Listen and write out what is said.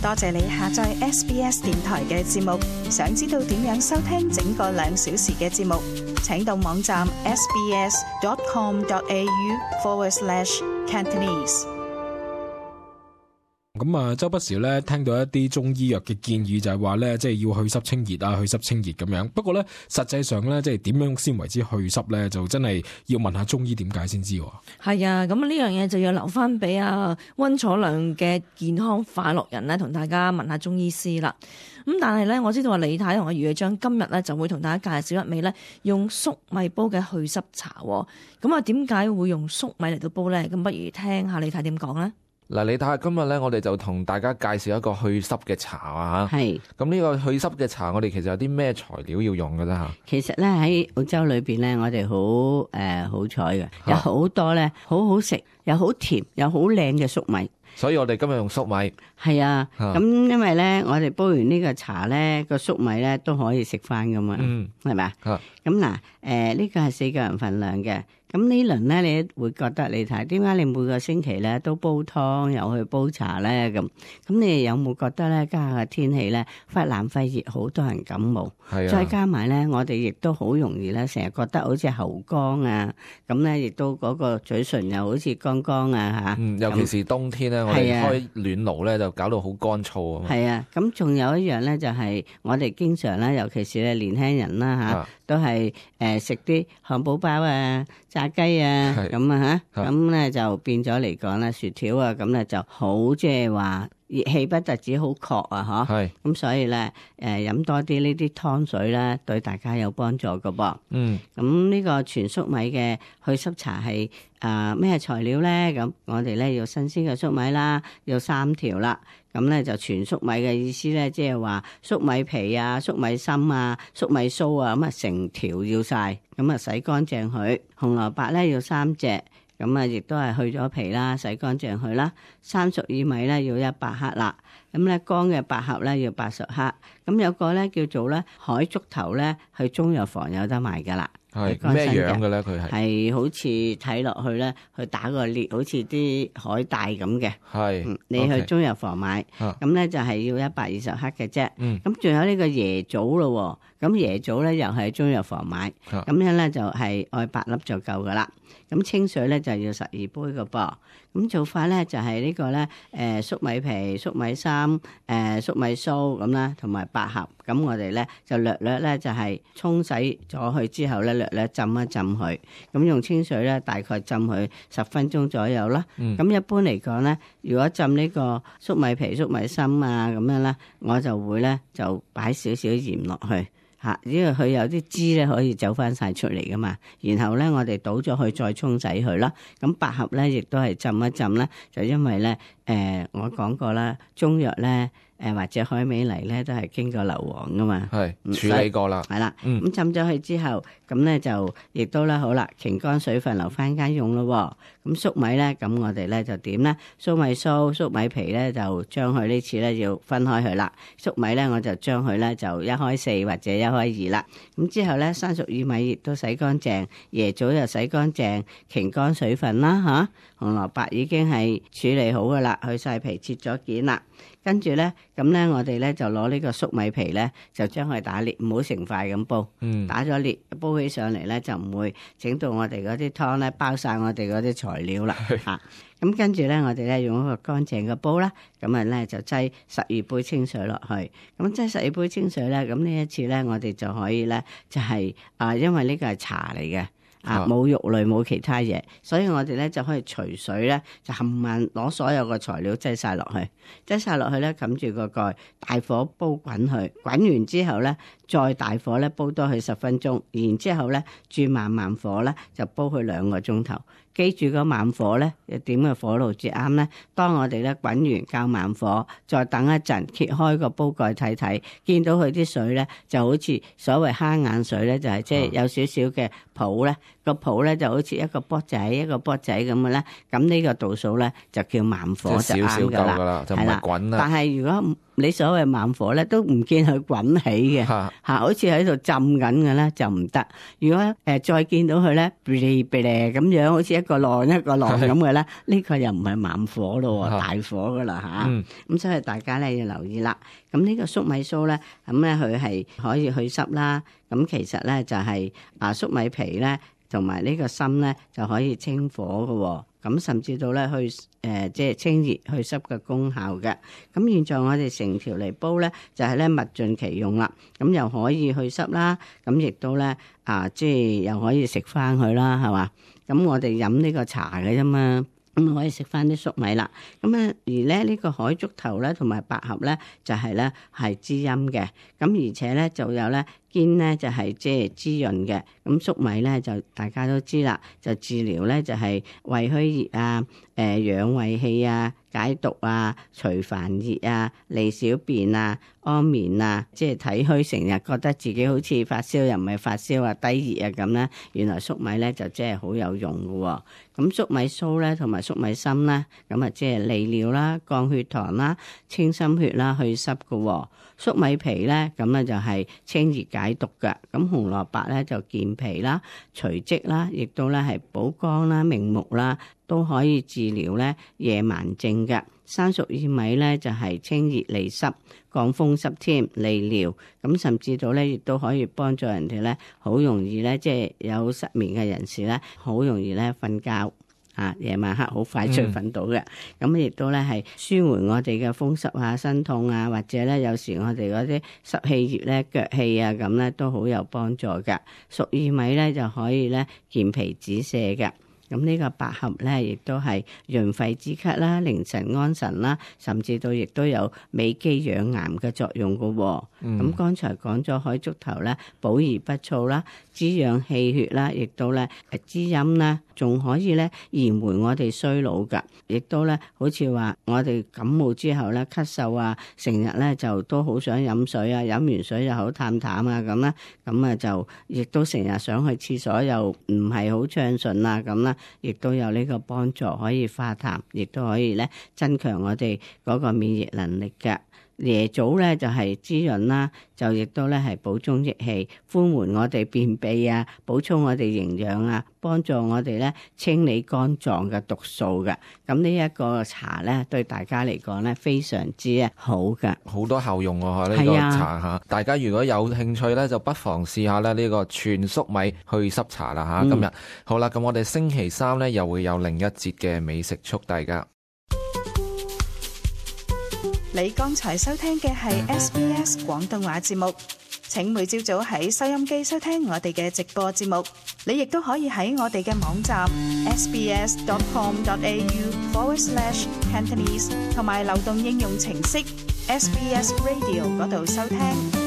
多謝你下載 SBS 電台嘅節目。想知道點樣收聽整個2小時嘅節目，請到網站 sbs.com.au/Cantonese。咁啊，周不時咧聽到一啲中醫藥嘅建議，就係話咧，即係要去濕清熱啊，去濕清熱咁樣。不過咧，實際上咧，即係點樣先為之去濕咧，就真係要問下中醫點解先知。係啊，咁呢樣嘢就要留翻俾溫楚亮嘅健康快樂人咧，同大家問下中醫師啦。咁但係咧，我知道話李太同阿余記今日咧就會同大家介紹一味咧用粟米煲嘅去濕茶。咁啊，點解會用粟米嚟到煲咧？咁不如聽下李太點講咧。嗱，你睇下今日咧，我哋就同大家介紹一個去濕嘅茶啊嚇。係。咁呢個去濕嘅茶，我哋其實有啲咩材料要用嘅咧嚇？其實咧喺澳洲裏邊咧，我哋好彩嘅，有好多咧好好食又好甜又好靚嘅粟米。所以我哋今日用粟米。係啊，咁因為咧，我哋煲完呢個茶咧，個粟米咧都可以食翻噶嘛，係咪啊？咁嗱，呢個係4個人份量嘅。咁呢輪咧，你會覺得你睇點解你每個星期咧都煲湯又去煲茶咧咁？咁你有冇覺得咧，家下嘅天氣咧忽冷忽熱，好多人感冒，再加埋咧，我哋亦都好容易咧，成日覺得好似喉乾啊，咁咧亦都嗰個嘴唇又好似乾乾啊嚇。尤其是冬天咧，我哋開暖爐咧就搞到好乾燥啊嘛。係啊，咁仲有一樣咧，就係我哋經常咧，尤其是咧年輕人啦嚇，都係食啲漢堡包啊、炸雞啊咁啊嚇，咁咧就變咗嚟講咧，薯條啊咁咧就好即係話熱氣不特止好確啊嗬，咁所以咧飲多啲呢啲湯水咧，對大家有幫助噶噃。咁呢個全粟米嘅去濕茶係咩材料咧？咁我哋咧要新鮮嘅粟米啦，要3條啦。咁咧就全粟米嘅意思咧，即係話粟米皮啊、粟米芯啊、粟米鬚啊，咁啊成條要晒，咁啊洗乾淨佢。紅蘿蔔咧要3隻，咁啊亦都係去咗皮啦，洗乾淨佢啦。生熟薏米咧要100克啦，咁咧乾嘅百合咧要80克。咁有個咧叫做咧海竹頭咧，去中藥房有得賣噶啦。係咩樣嘅咧？佢係好似睇落去咧，去打個裂，好似啲海帶咁嘅。係，你去中藥房買，咁咧就係要120克嘅啫。咁仲有呢個椰棗咯，咁椰棗咧又係中藥房買，咁樣咧就係愛8粒就夠噶啦。咁清水咧就要12杯嘅噃。咁做法咧就係呢個咧，粟米皮、粟米芯、粟米鬚咁啦，同埋百合。咁我哋咧就略略咧就係沖洗咗佢之後咧，略略浸一浸佢。咁用清水咧大概浸佢10分鐘左右啦。咁一般嚟講咧，如果浸呢個粟米皮、粟米芯啊咁樣咧，我就會咧就擺少少鹽落去。因為佢有啲汁咧可以走翻晒出嚟噶嘛，然後咧我哋倒咗佢再沖洗佢啦。咁百合咧亦都係浸一浸啦，就因為咧我講過啦，中藥咧或者海味嚟咧都係經過硫磺噶嘛，係處理過啦，係啦。咁浸咗佢之後，咁咧就亦都咧好啦，擎乾水分留翻間用咯。咁粟米咧，咁我哋咧就點咧？粟米鬚、粟米皮咧就將佢呢次咧要分開佢啦。粟米咧我就將佢咧就1/4或者1/2啦。咁之後咧生熟薏米亦都洗乾淨，椰棗又洗乾淨，擎乾水分啦嚇。紅蘿蔔已經係處理好噶啦，去晒皮切咗件啦。跟住咧，咁咧我哋咧就攞呢個粟米皮咧，就將佢打裂，唔好成塊咁煲。打咗裂，煲起上嚟咧就唔會整到我哋嗰啲湯咧包晒我哋嗰啲材料啦嚇。咁跟住咧，我哋咧用一個乾淨嘅煲啦，咁啊咧就擠12杯清水落去。咁擠12杯清水咧，咁呢一次咧我哋就可以咧就係因為呢個係茶嚟嘅。冇肉類冇其他嘢，所以我哋咧就可以除水咧，就冚唪攞所有嘅材料擠晒落去，咧冚住個蓋，大火煲滾佢，滾完之後咧再大火咧煲多佢10分鐘，然之後咧轉慢火咧就煲佢2個鐘頭。記住個慢火咧，點嘅火爐至啱咧？當我哋咧滾完較慢火，再等一陣，揭開個煲蓋睇睇，見到佢啲水咧就好似所謂蝦眼水咧，就係即係有少少嘅泡咧，個泡咧就好似一個波仔一個波仔咁嘅咧。咁呢個度數咧就叫慢火就啱㗎啦，就唔係滾啦。但係如果你所謂慢火咧，都唔見佢滾起嘅，好似喺度浸緊嘅咧就唔得。如果再見到佢咧，嗶哩嗶哩咁樣，好似一個浪一個浪咁嘅咧，呢個又唔係慢火咯，大火噶啦嚇。咁所以大家咧要留意啦。咁呢個粟米酥咧，咁咧佢係可以去濕啦。咁其實咧就係粟米皮咧同埋呢個心咧就可以清火嘅。咁甚至到咧去即係清熱去濕嘅功效嘅。咁現在我哋成條嚟煲咧，就係咧物盡其用啦。咁又可以去濕啦，咁亦都咧即係又可以食翻佢啦，係嘛？咁我哋飲呢個茶嘅啫嘛。咁可以食翻啲粟米啦，咁啊而咧呢個海竹頭咧同埋百合咧就係咧係滋陰嘅，咁而且咧就有咧堅咧就係即係滋潤嘅，咁粟米咧就大家都知啦，就治療咧就係胃虛熱啊、養胃氣啊、解毒啊、除煩熱啊、利小便啊、安眠啊，即係體虛成日覺得自己好似發燒又唔係發燒啊、低熱啊咁咧，原來粟米咧就即係好有用嘅喎。咁粟米酥咧同埋粟米芯咧，咁啊即係利尿啦、降血糖啦、清心血啦、去濕嘅喎。粟米皮咧咁咧就係清熱解毒嘅。咁紅蘿蔔咧就健脾啦、除積啦，亦都咧係補肝啦、明目啦，都可以治療咧夜盲症嘅。生熟薏米咧就係清熱利濕、降風濕添、利尿，咁甚至到咧亦都可以幫助人哋咧好容易咧即係有失眠嘅人士咧好容易咧瞓覺夜晚黑好快脆瞓到嘅。咁亦都咧係舒緩我哋嘅風濕啊、身痛啊，或者咧有時我哋嗰啲濕氣熱咧、腳氣啊咁咧都好有幫助嘅。熟薏米咧就可以咧健脾止瀉嘅。咁呢個百合咧，亦都係潤肺止咳啦、寧神安神啦，甚至到亦都有美肌養顏嘅作用嘅喎。咁剛才講咗海竹頭咧，補而不燥啦，滋養氣血啦，亦都咧滋陰啦，仲可以咧延緩我哋衰老㗎。亦都咧好似話我哋感冒之後咧咳嗽啊，成日咧就都好想飲水啊，飲完水又好淡淡啊咁啦，咁啊就亦都成日想去廁所又唔係好暢順啊咁啦。亦都有呢個幫助，可以化痰，亦都可以咧增強我哋嗰個免疫能力嘅。椰棗咧就係滋潤啦，就亦都咧係補中益氣，寬緩我哋便秘啊，補充我哋營養啊，幫助我哋咧清理肝臟嘅毒素嘅。咁呢一個茶咧對大家嚟講咧非常之好嘅，好多效用喎呢個茶嚇。大家如果有興趣咧，就不妨試下咧呢個全粟米去濕茶啦嚇。今日好啦，咁我哋星期三咧又會有另一節嘅美食速遞㗎。你剛才收聽嘅係 SBS 廣東話節目，請每朝早喺收音機收聽我哋嘅直播節目。你亦都可以喺我哋嘅網站 sbs.com.au/Cantonese 同埋流動應用程式 SBS Radio 嗰度收聽。